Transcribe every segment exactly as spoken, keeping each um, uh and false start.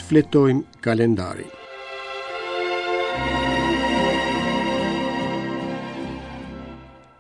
Shfletojmë kalendarin.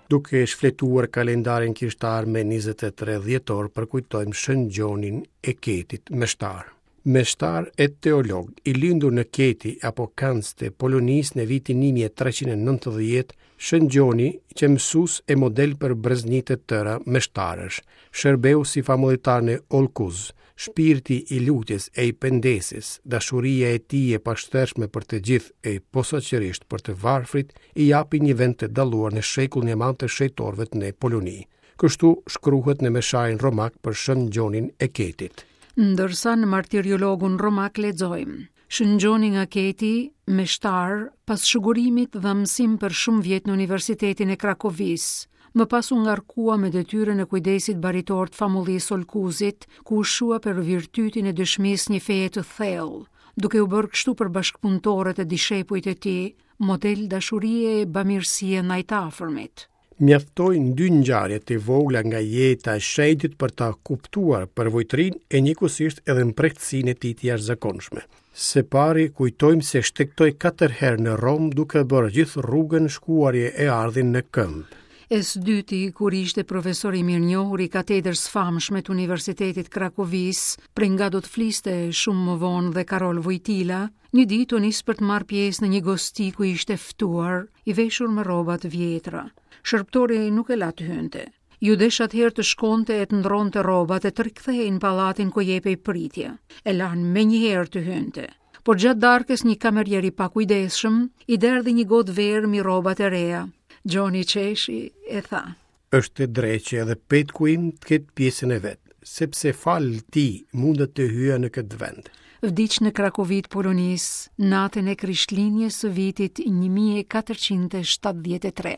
Duke shfletuar kalendarin kishtar me njëzet e tre dhjetor përkujtojmë Shën Gjonin e Ketit, meshtar. Meshtar e teolog, i lindur në Keti apo Kanc të Polonisë në vitin një mijë e treqind e nëntëdhjetë, Shën Gjoni qe mësues e model për brezni të tëra meshtarësh. Shërbeu si famullitar në Olkuz. Shpirti i lutjes e i pendesës, dashuria e tij e pashtershme për të gjithë e posaçërisht për të varfrit, i japin një vend të dalluar në shekullin e madh të shenjtorëve në Poloni. Kështu shkruhet në mesharin romak për Shën Gjonin e Ketit. Ndërsa në martiriologun romak lexojmë: Shën Gjoni nga Keti, meshtar, pas shugurimit dha mësim për shumë vjet në Universitetin e Krakovisë. Më pas u ngarkua me detyrën e kujdesit baritor të famullisë Olkuzit, ku u shua për virtytin e dëshmisë një feje të thellë, duke u bërë kështu për bashkëpunëtorët e dishepujt e tij, model dashurie e bamirësie ndaj të afërmit. Mjaftojnë dy ngjarje të vogla nga jeta e shenjtit për ta kuptuar përvojtërinë e njëkohësisht edhe mprehtësinë e tij të jashtëzakonshme. Së pari, kujtojmë se shtegtoi katër herë në Romë, duke bërë gjithë rrugën shkuarje e ardhin në këmbë. E së dyti, kur ishte profesor i mirënjohur i katedrës famshme të Universitetit Krakovisë, prej nga do të fliste shumë më vonë dhe Karol Vojtila, një ditë u nis për të marrë pjesë në një gosti ku ishte ftuar, i veshur me rroba të vjetra. Shërbëtori nuk e la të hynte. Iu desh atëherë të shkonte e të ndronte rrobat e të rikthehej në pallatin ku jepej pritja. E lanë menjëherë të hynte. Por gjatë darkës një kamerier i pakujdesshëm i derdhi një gotë verë mbi rrobat e reja. Gjoni qeshi e tha: "Është e drejtë që edhe petku im të ketë pjesën e vet, sepse falë tij mundet të hyja në këtë vend." Vdiq në Krakovi të Polonisë, natën e Krishtlindjes së vitit një mijë e katërqind e shtatëdhjetë e tre.